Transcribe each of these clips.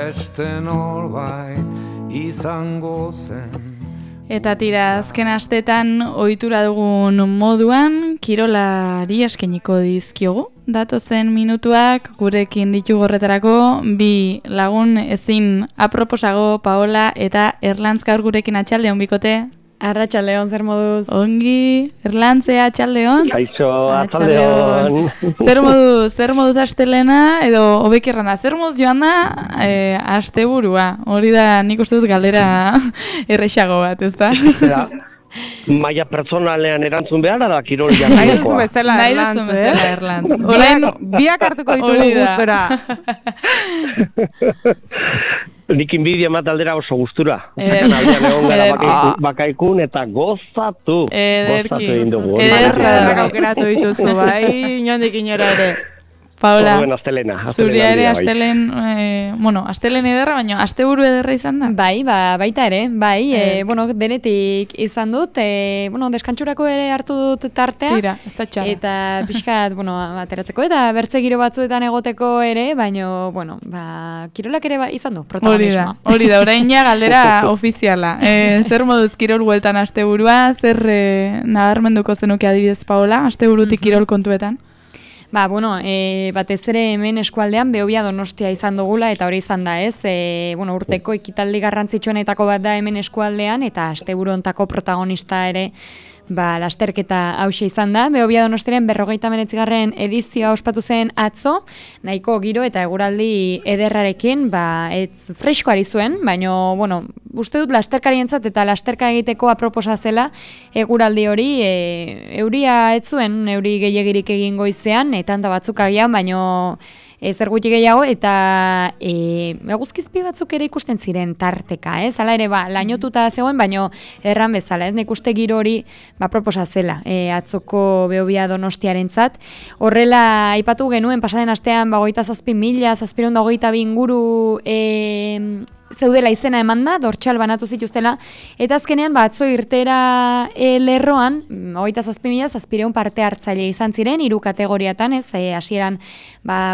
beste norbait izango zen. Eta tira, azken astetan ohitura dugun moduan, kirolari eskainiko dizkiogu. Datozen minutuak gurekin ditugu horretarako, bi lagun ezin aproposago Paola eta Erlantz gaur gurekin atxaldeon bikote. Arratsaldeon, zer moduz? Ongi, Erlantzea atxaldeon. Kaixo, atxaldeon. Zer moduz astelena, edo hobekirrana, zer moduz joan da asteburua? Hori da nik uste dut galdera errexago bat, ez da? Maia pertsonalean erantzun behar da kirol Nahi duzu bezala Erlantz. Orain biak hartuko ditugu gustora. Nik inbidia mataldera oso gustura. Aldean egon gara bakaikun eta gozatu. Gozatu egin dugu. Ederra aukeratu dituzu, bai, inondik inora ere. Paola, astelena zuria ere astelen, astelen ederra, baina asteburu ederra izan da? Bai, baita ere, bai, denetik izan dut, deskantxurako ere hartu dut tartea. Tira, ez da txara. Eta pixkat, ateratzeko eta bertze giro batzuetan egoteko ere, baina, kirolak ere izan du, protagonismoa. Hori da, orain ja galdera ofiziala. Zer moduz kirol bueltan asteburua, zer nabarmenduko zenuke adibidez, Paola, asteburutik kirol kontuetan? Batez ere hemen eskualdean Behobia Donostia izan dugula eta hori izan da, ez? Urteko ekitaldi garrantzitsuenetako bat da hemen eskualdean eta asteburu hontako protagonista ere lasterketa hauxe izan da. Behobia Donostiaren 59. edizioa ospatu zen atzo, nahiko giro eta eguraldi ederrarekin, ez fresko ari zuen, baina, uste dut lasterkarientzat eta lasterka egiteko aproposa zela eguraldi hori, euria ez zuen, euri gehiegirik egin goizean, eta handa batzuk agian, baina zer gutxi gehiago, eta eguzkizpi batzuk ere ikusten ziren tarteka, ez? Hala ere, lainotuta zegoen, baina erran bezala, ez? Nik uste giro hori proposa zela, atzoko Behobia Donostiarentzat. Horrela, aipatu genuen, pasaden astean, 27.000, 722 inguru zeudela izena eman da, dortxal banatu zituztela, eta azkenean atzo irtera lerroan, 27.000 parte hartzaile izan ziren, 3 kategoriatan, ez, hasieran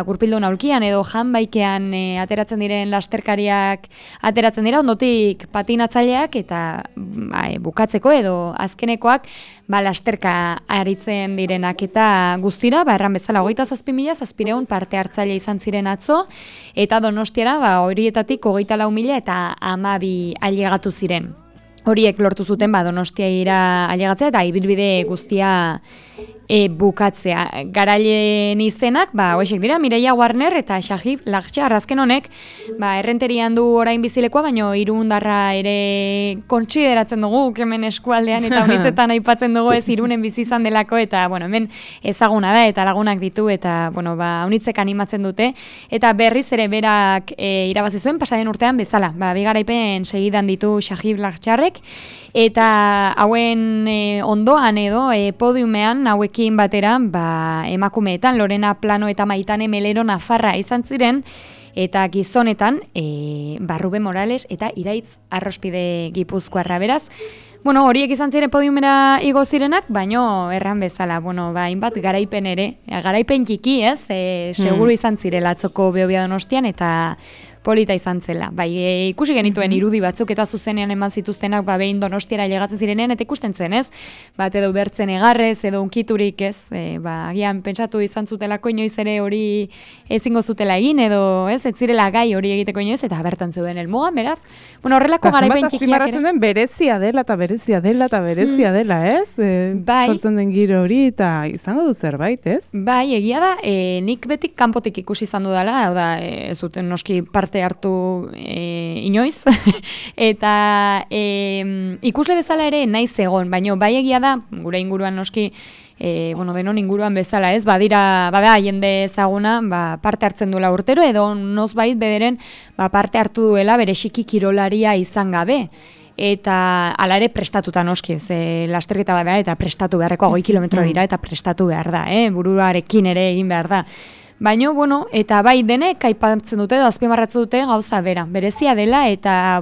gurpildun aulkian edo janbaikean ateratzen diren lasterkariak ateratzen dira, ondotik patinatzaileak eta bukatzeko edo azkenekoak lasterka aritzen direnak eta guztira, erran bezala 27.000 parte hartzaile izan ziren atzo, eta Donostiara horietatik 24.000 eta 12 ailegatu ziren. Horiek lortu zuten Donostiara ailegatzea eta ibilbide guztia bukatzea. Garaileen izenak, hoexek dira, Mireia Warner eta Shahib Lakhchar, azken honek, errenterian du orain bizilekoa, baino Irundarra ere kontsideratzen dugu, hemen eskualdean eta honitzetan aipatzen dugu ez Irunen bizi izan delako, eta hemen ezaguna da eta lagunak ditu, eta honitzek animatzen dute, eta berriz ere berak irabazi zuen, pasaden urtean bezala, bigaraipen segidan ditu Shahib Lakhcharrek, eta hauen ondoan edo podiumean hauekin batera emakumeetan Lorena Plano eta Maitane Melero Nafarra izan ziren, eta gizonetan Rube Morales eta Iraitz Arrospide Gipuzkoarra, beraz. Horiek izan ziren podiumera igo zirenak, baino erran bezala, hainbat garaipen ere, garaipen txiki, ez, seguru izan zirela atzoko Behobia Donostian, eta polita izan zela. Ikusi genituen irudi batzuk eta zuzenean eman zituztenak behin Donostiara ailegatzen zirenean, eta ikusten zen, ez? Edo bertzen egarrez, edo unkiturik, ez? Agian pentsatu izan zutelako inoiz ere hori ezingo zutela egin, edo ez zirela gai hori egiteko inoiz, eta bertan zeuden helmugan, beraz. Horrelako garaipen txikiak ere. Den berezia dela, ez? Sortzen den giro hori, eta izango du zerbait, ez? Egia da, nik betik kanpotik ikusi izan dudala, hau da, ez duten noski parte hartu inoiz, eta ikusle bezala ere naiz egon, baina egia da, gure inguruan noski, denon inguruan bezala, ez, bada jende ezaguna, parte hartzen duela urtero, edo nozbait bederen parte hartu duela bereziki kirolaria izan gabe. Eta ala ere prestatuta noski, lasterketa bat da, eta prestatu beharreko 20 kilometro dira, eta prestatu behar da, buruarekin ere egin behar da. Baina, eta denek aipatzen dute, azpimarratzen dute gauza berezia dela, eta,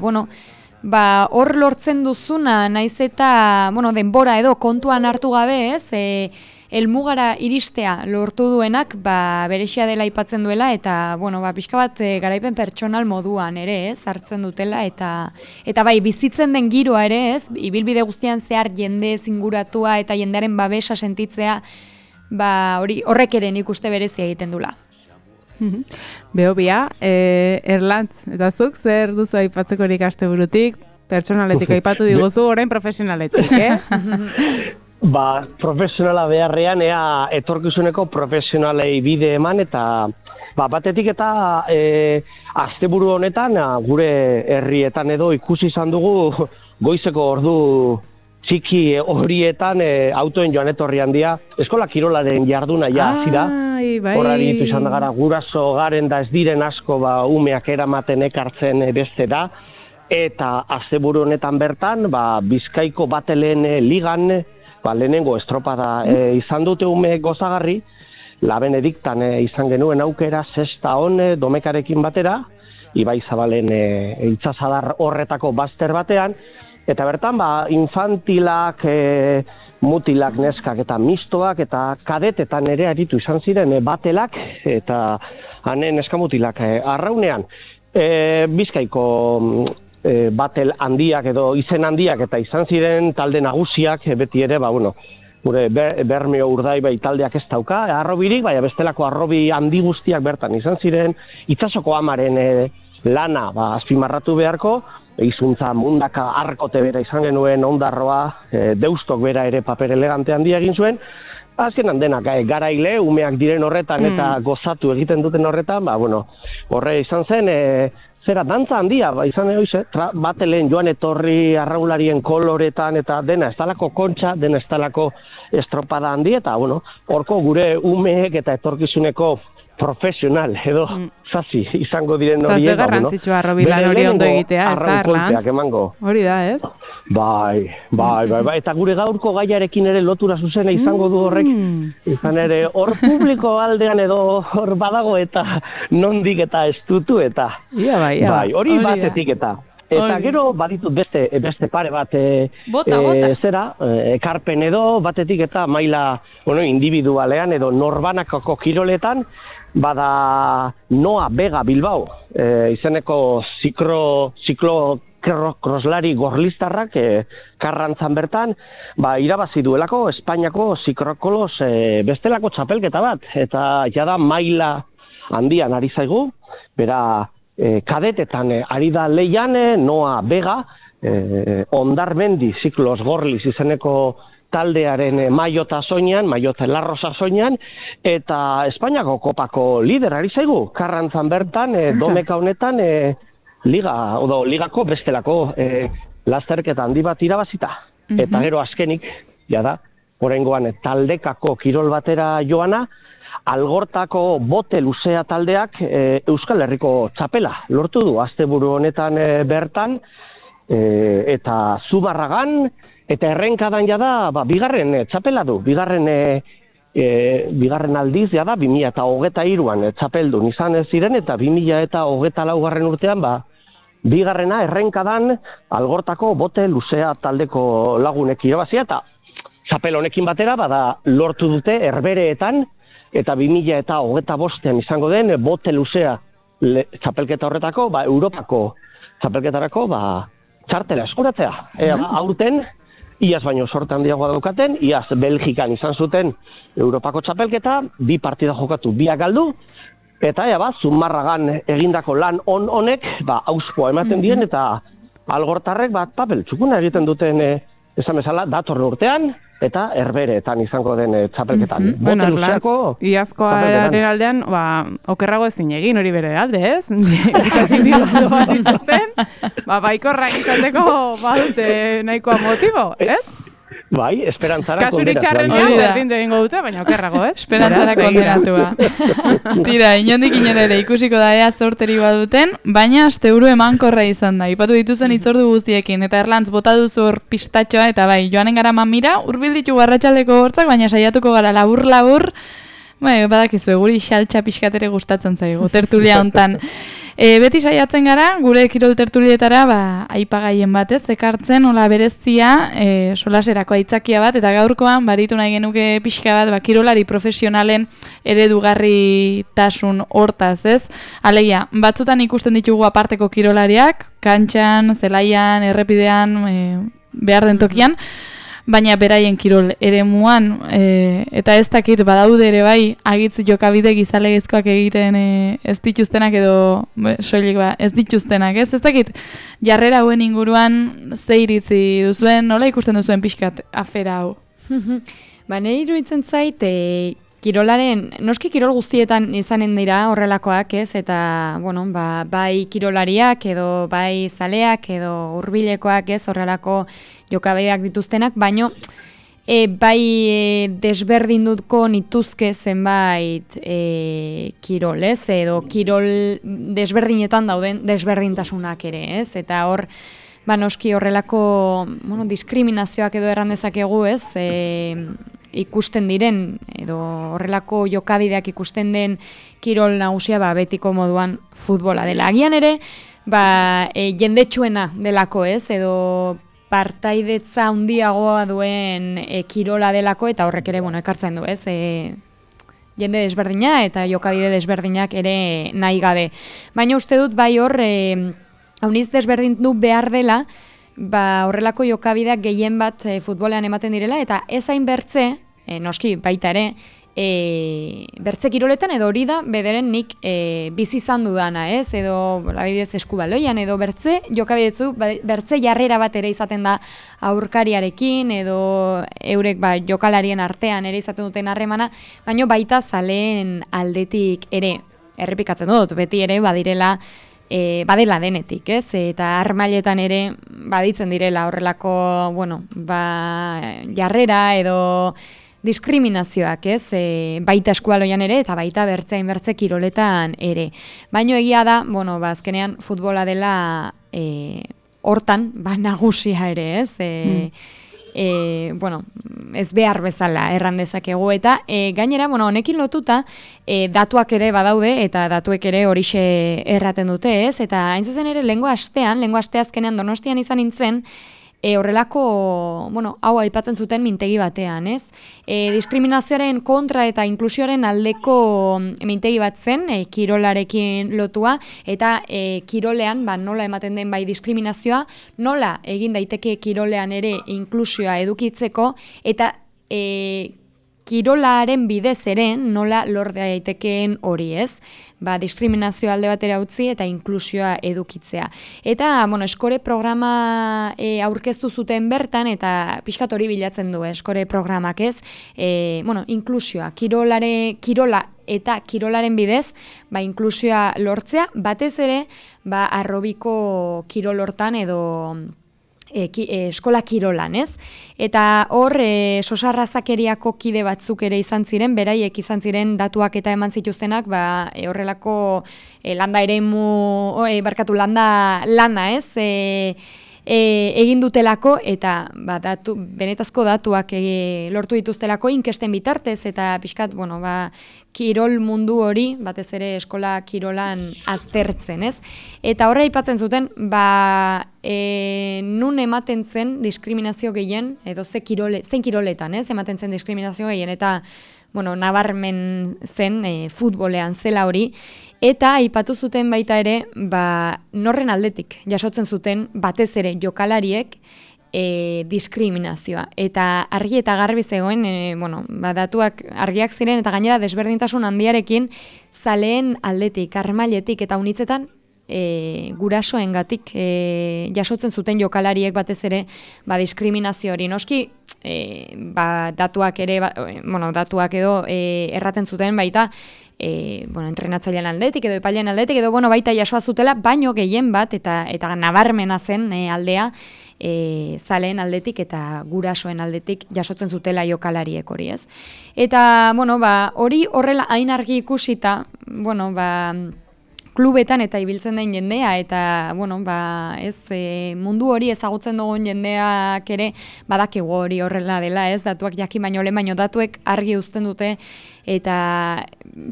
hor lortzen duzuna, naiz eta, denbora edo kontuan hartu gabe, ez, helmugara iristea lortu duenak, berexia dela aipatzen duela, eta, pixka bat garaipen pertsonal moduan ere, ez, hartzen dutela, eta bai, bizitzen den giroa ere, ez, ibilbide guztian zehar jende zinguratua eta jendearen babesa sentitzea, horrek ere nik uste berezia egiten dula. Behobia, Erlantz, eta zuk zer duzu aipatzeko horik asteburutik, pertsonaletik aipatu diguzu, orain profesionaletik, Profesionala beharrean, etorkizuneko profesionalei bide eman, eta batetik eta asteburu honetan, gure herrietan edo ikusi izan dugu goizeko ordu txiki horietan autoen joan etorri handia, eskola kirolaren jarduna hasi da. Horari ditu izan da gara, guraso garen da ez diren asko umeak eramaten ekartzen beste da, eta asteburu honetan bertan, Bizkaiko Bateleen ligan, lehenengo estropada izan dute ume gozagarri, La Benediktan izan genuen aukera, sexta on Domekarekin batera, Ibai Zabalen itsasadar horretako bazter batean, eta bertan infantilak, mutilak, neskak eta mistoak eta kadetetan ere aritu izan ziren batelak eta neskamutilak arraunean. Bizkaiko batel handiak edo izen handiak eta izan ziren talde nagusiak beti ere, gure Bermeo Urdaibai taldeak ez dauka, arrobirik, bestelako arrobi handi guztiak bertan izan ziren, itsasoko amaren lana azpimarratu beharko, izuntza mundaka arkote bera izan genuen, ondarroa, deustok bera ere paper elegante handia egin zuen, azkenan denak garaile, umeak diren horretan eta gozatu egiten duten horretan, horre izan zen, zera dantza handia, izan egoize, Batelen joan etorri arraularien koloretan eta dena ez talako kontxa, dena ez talako estropada handi, eta horko gure umeek eta etorkizuneko profesional edo zazi izango diren horiek. Eta ze garrantzitsua arrobilan hori ondo egitea, ez da, Erlantz? Hori da, ez? Bai, eta gure gaurko gaiarekin ere lotura zuzena izango du horrek, izan ere hor publiko aldean edo hor badago eta nondik eta estutu eta bai, hori batetik eta gero baditut beste pare bat ekarpen edo batetik eta maila individualean edo norbanakako kiroletan bada Noa Vega Bilbao izeneko ziklo-kroslari gorlistarrak Karrantzan bertan irabazi duelako Espainiako zikrokolos bestelako txapelketa bat eta jada maila handian ari zaigu, bera kadetetan ari da leian Noa Vega Ondarmendi ziklos gorliz izeneko taldearen maiota soinean, maiota larrosa soinean, eta Espainiako kopako lider ari zaigu, Karrantzan bertan, Domeka honetan, ligako bestelako lasterketa handi bat irabazita. Eta gero azkenik, jada, oraingoan taldekako kirol batera joana, Algortako bote luzea taldeak Euskal Herriko txapela lortu du, asteburu honetan bertan, eta Zumarragan, eta errenkadan jada, bigarren txapela du, bigarren aldiz jada, 2023an txapeldun izan ez ziren, eta 2024 urtean, bigarrena errenkadan Algortako bote luzea taldeko lagunek irabazia, eta txapel honekin batera, lortu dute herbereetan, eta 2025an izango den bote luzea txapelketa horretako, Europako txapelketarako, txartela eskuratzea. Aurten, iaz baino sorte handiagoa daukaten, iaz Belgikan izan zuten Europako txapelketa, 2 partida jokatu, 2 galdu, eta Zumarragan egindako lan honek, auspoa ematen dien, eta algortarrek papel txukuna egiten duten, esan bezala, datorren urtean, eta herbereetan izango den txapelketan. Bueno, Erlantz, iazkoaren aldean, okerrago ezin egin hori bere alde, ez? Ikasin digondo bat zituzten, baikorrak izateko badute nahikoa motibo, ez? Bai, esperantzara kasurik txarrenean berdindu egingo dute, baina okerrago, ez? Esperantzara kondenatua. Tira, inondik ere ikusiko da ea zorteri baduten, baina asteburu emankorra izan da. Ipatu dituzen hitzordu guztiekin, eta Erlantz bota duzu hor pistatxoa, eta joanen gara mamira, hurbil ditu arratsaldeko hortzak, baina saiatuko gara labur-labur, badakizu, guri xaltxa pixkatere gustatzen zaigu, tertulia hontan. Beti saiatzen gara, gure kirol tertulietara, aipagaien batez, ekartzen, hola berezia, solaserako aitzakia bat, eta gaurkoan, baritu nahi genuke pixka bat, kirolari profesionalen eredugarritasun hortaz, ez? Alegia, batzutan ikusten ditugu aparteko kirolariak, kantxan, zelaian, errepidean, behar den tokian, baina beraien kirol eremuan, eta ez dakit badaude ere bai, agitz jokabide gizalegizkoak egiten ez dituztenak edo soilik ez dituztenak, ez dakit jarrera hauen inguruan ze iritzi duzuen, nola ikusten duzuen pixkat afera hau? Nire iruditzen zait, noski kirol guztietan izanen dira horrelakoak, ez? Eta, bai kirolariak edo bai zaleak edo hurbilekoak, ez? Horrelako jokabideak dituztenak, baino bai desberdinduko nituzke zenbait kirol, ez? Edo kirol desberdinetan dauden desberdintasunak ere, ez? Eta hor, noski horrelako diskriminazioak edo erran dezakegu, ez? Ikusten diren, edo horrelako jokabideak ikusten den kirol nagusia betiko moduan futbola dela. Agian ere, jendetsuena delako, ez? Edo partaidetza handiagoa duen kirola delako, eta horrek ere, ekartzen du, ez? Jende desberdina eta jokabide desberdinak ere nahi gabe. Baina uste dut bai hor, hauniz desberdindu behar dela, horrelako jokabideak gehien bat futbolean ematen direla, eta ez hain bertze, noski baita ere, bertze kiroletan edo hori da bederen nik bizi izan dudana, ez? Edo adibidez eskubaloian edo bertze jokabidetzu, bertze jarrera bat ere izaten da aurkariarekin edo eurek jokalarien artean ere izaten duten harremana, baina baita zaleen aldetik ere, errepikatzen dut, beti ere badela denetik, ez? Eta armailetan ere baditzen direla horrelako, jarrera edo diskriminazioak, ez? Baita eskualoian ere eta baita bertze kiroletan ere. Baino egia da, azkenean futbola dela hortan, nagusia ere, ez? Ez behar bezala erran dezakegu eta gainera, honekin lotuta datuak ere badaude eta datuek ere horixe erraten dute, ez? Eta hain zuzen ere lehengo aste azkenean Donostian izan nintzen, horrelako, hau aipatzen zuten mintegi batean, ez? Diskriminazioaren kontra eta inklusioaren aldeko mintegi bat zen, kirolarekin lotua, eta kirolean, nola ematen den bai diskriminazioa, nola egin daiteke kirolean ere inklusioa edukitzeko, eta kirolaren bidez ere nola lor daitekeen hori, ez? Diskriminazio alde batera utzi eta inklusioa edukitzea. Eta, eskore programa aurkeztu zuten bertan, eta pixkat hori bilatzen du, eskore programak, ez? Inklusioa, kirola eta kirolaren bidez, inklusioa lortzea, batez ere, arrobiko kirol hortan edo eskola kirolan, ez? Eta hor, sosarrazakeriako kide batzuk ere izan ziren, beraiek izan ziren datuak eta eman zituztenak, horrelako lana, ez? Egin dutelako eta benetazko datuak lortu dituztelako inkesten bitartez eta pixkat, kirol mundu hori, batez ere eskola kirolan aztertzen, ez? Eta horre aipatzen zuten, nun ematen zen diskriminazio gehien, edo zein kiroletan, ez? Ematen zen diskriminazio gehien, eta nabarmen zen futbolean zela hori, eta aipatu zuten baita ere, norren aldetik jasotzen zuten batez ere jokalariek diskriminazioa. Eta argi eta garbi zegoen, datuak argiak ziren, eta gainera desberdintasun handiarekin zaleen aldetik, armailetik eta unitzetan gurasoengatik jasotzen zuten jokalariek batez ere diskriminazio hori. Noski, datuak ere, datuak edo erraten zuten baita, entrenatzailean aldetik edo epailean aldetik edo baita jasoa zutela, baino gehien bat eta nabarmena zen aldea zaleen aldetik eta gurasoen aldetik jasotzen zutela jokalariek hori, ez? Eta, hori horrela hain argi ikusita, klubetan eta ibiltzen den jendea eta, mundu hori ezagutzen dugun jendeak ere badakigu hori horrela dela, ez? Datuak jakin baino lehen, baino datuek argi uzten dute eta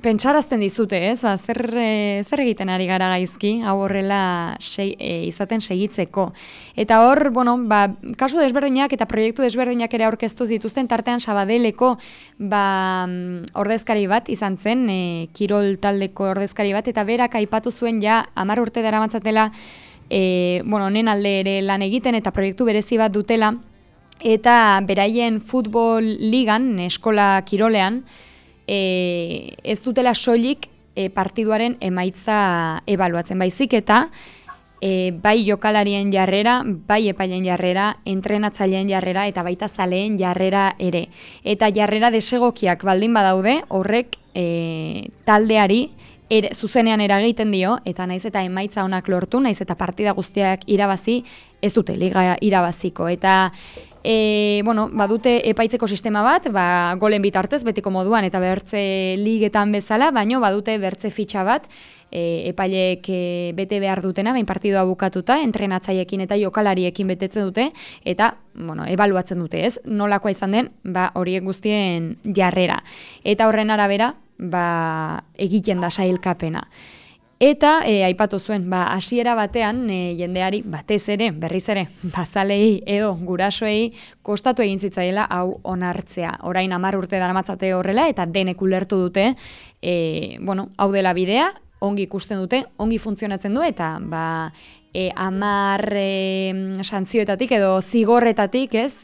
pentsarazten dizute, ez? Ba, zer egiten ari gara gaizki, hau horrela izaten segitzeko. Eta hor, bueno, ba, kasu desberdinak eta proiektu desberdinak ere aurkeztu zituzten, tartean Sabadeleko ordezkari bat izan zen, kirol taldeko ordezkari bat, eta berak aipatu zuen ja 10 urte daramatzatela, honen alde ere lan egiten eta proiektu berezi bat dutela, eta beraien futbol ligan, eskola kirolean, ez dutela soilik partiduaren emaitza ebaluatzen, baizik eta bai jokalarien jarrera, bai epailen jarrera, entrenatzaileen jarrera eta baita zaleen jarrera ere. Eta jarrera desegokiak baldin badaude, horrek taldeari zuzenean eragiten dio, eta naiz eta emaitza onak lortu, naiz eta partida guztiak irabazi, ez dute liga irabaziko. Eta badute epaitzeko sistema bat, golen bitartez, betiko moduan, eta bertze ligetan bezala, baino badute bertze fitxa bat, epaileek bete behar dutena, bain partidua bukatuta, entrenatzaiekin eta jokalariekin betetzen dute, eta ebaluatzen dute, ez? Nolakoa izan den, horiek guztien jarrera. Eta horren arabera, egiten da sailkapena. Eta aipatu zuen, hasiera batean jendeari batez ere, berriz ere, bazalei edo gurasoei kostatu egin zitzaiela hau onartzea. Orain 10 urte daramatzate horrela eta denek ulertu dute, hau dela bidea, ongi ikusten dute, ongi funtzionatzen du eta 10 santzioetatik edo zigorretatik, ez,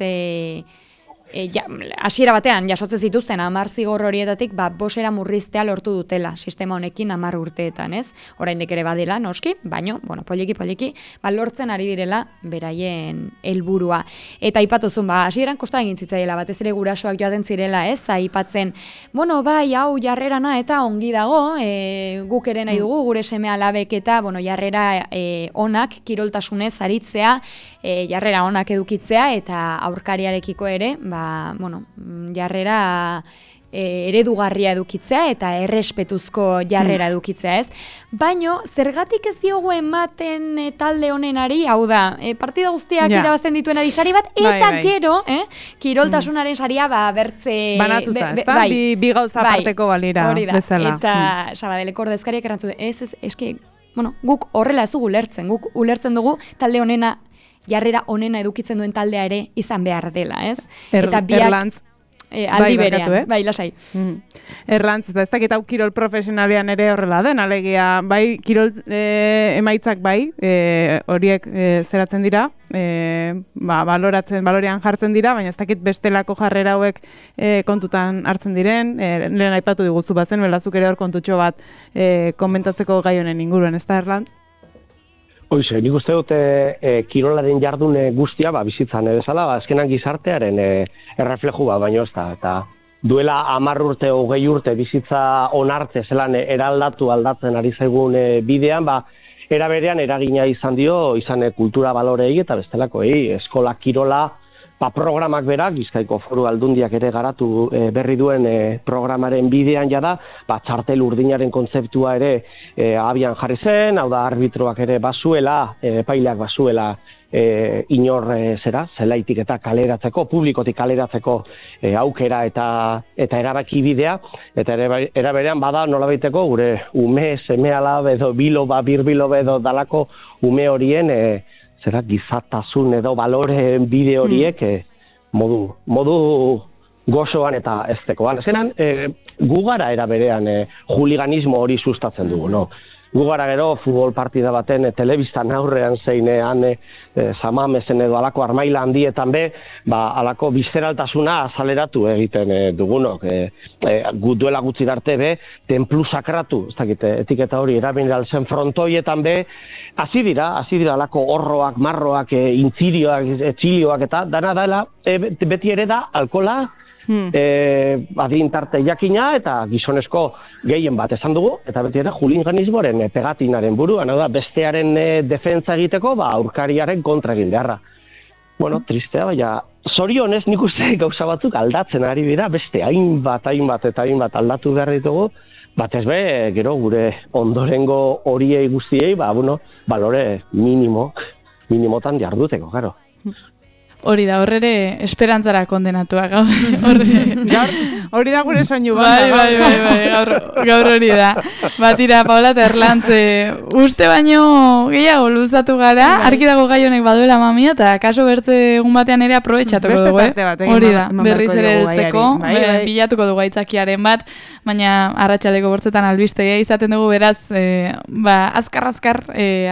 hasiera batean jasotzen zituzten 10 zigor horietatik 5 murriztea lortu dutela sistema honekin 10 urteetan, ez? Oraindik ere badela noski, baino poliki lortzen ari direla beraien helburua. Eta aipatuzun, hasieran kosta egin zitzaiela, batez ere gurasoak joaten zirela, ez? Aipatzen, hau jarrerana eta ongi dago, guk ere nahi dugu gure seme-alabek eta jarrera onak kiroltasunez aritzea, jarrera onak edukitzea eta aurkariarekiko ere, jarrera eredugarria edukitzea eta errespetuzko jarrera edukitzea, ez? Baino, zergatik ez diogu ematen talde honenari, hau da, partida guztiak irabazten dituenari sari bat, eta gero, kiroltasunaren saria bertze... Banatuta, ez da? Bi gauza parteko balira, bezala. Eta Sabadeleko ordezkariak errantzu, guk horrela ez dugu ulertzen, guk ulertzen dugu talde honena, jarrera onena edukitzen duen taldea ere izan behar dela, ez? Eta biak aldi berean, lasai. Erlantz, eta ez dakit hau kirol profesionalean ere horrela den, alegia, kirol emaitzak horiek zeratzen dira, balorean jartzen dira, baina ez dakit bestelako jarrera hauek kontutan hartzen diren, lehen aipatu diguzu bazen, belazuk ere hor kontutxo bat komentatzeko gai honen inguruan, ez da Erlantz? Hoize, nik uste dute kirolaren jardune guztia bizitzan bezala, azkenan gizartearen errefleju baino ez da. Eta duela 10 urte, 20 urte bizitza onarte zelan aldatzen ari zaigun bidean, era berean eragina izan dio, izan kultura balorei eta bestelakoei, eskola kirola, programak berak, Bizkaiko Foru Aldundiak ere garatu berri duen programaren bidean jada, txartel urdinaren kontzeptua ere abian jarri zen, hau da arbitroak ere bazuela, epaileak bazuela inor zelaitik eta kaleratzeko, publikotik kaleratzeko aukera eta erabaki bidea, eta era berean bada nolabaiteko gure ume, seme-alab edo biloba, birbiloba edo dalako ume horien gizatasun edo balore bide horiek modu gozoan eta eztekoan. Zeran, gu gara era berean juliganismo hori sustatzen dugu, no? Gu gara gero futbol partida baten telebistan aurrean zeinean zamamezen edo alako armaila handietan alako bizeraltasuna azaleratu egiten dugunok. Gu duela gutxi darte templu sakratu, ez dakit, etiketa hori erabiltzen frontoietan hasi dira alako horroak, marroak, intzirioak, etxilioak eta dana dela, beti ere da alkola, adin tarte jakina eta gizonezko gehien bat esan dugu, eta beti ere juliganismoaren pegatinaren buruan, bestearen defentsa egiteko, aurkariaren kontra egin beharra. Tristea, baina zorionez nik uste gauza batzuk aldatzen ari dira, beste hainbat aldatu behar ditugu, batez gero gure ondorengo horiei guztiei, balore minimotan jarduteko, gero. Hori da, horrere esperantzara kondenatuak gaude. Hori da gure soinu Bai, gaur hori da. Batira, Paola eta Erlantz, uste baino gehiago luzatu gara, argi dago gai honek baduela mamia, eta kaso bertze egun batean ere aprobetxatuko dugu, hori da, berriz ere heltzeko, bilatuko dugu aitzakiaren bat, baina arratsaldeko bortzetan albistegia izaten dugu, beraz, azkar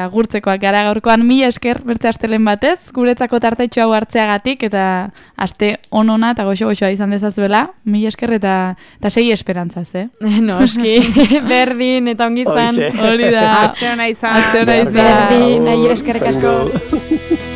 agurtzekoak gara gaurkoan, mila esker bertze astelen batez, guretzako tartetxo hau hartzeagatik, eta aste onona eta goxo-goxoa izan dezazuela, mila esker eta segi esperantzaz, Noski, berdin eta ongi izan. Hori da. Aste ona izan. Berdin, nahi eskerrik asko.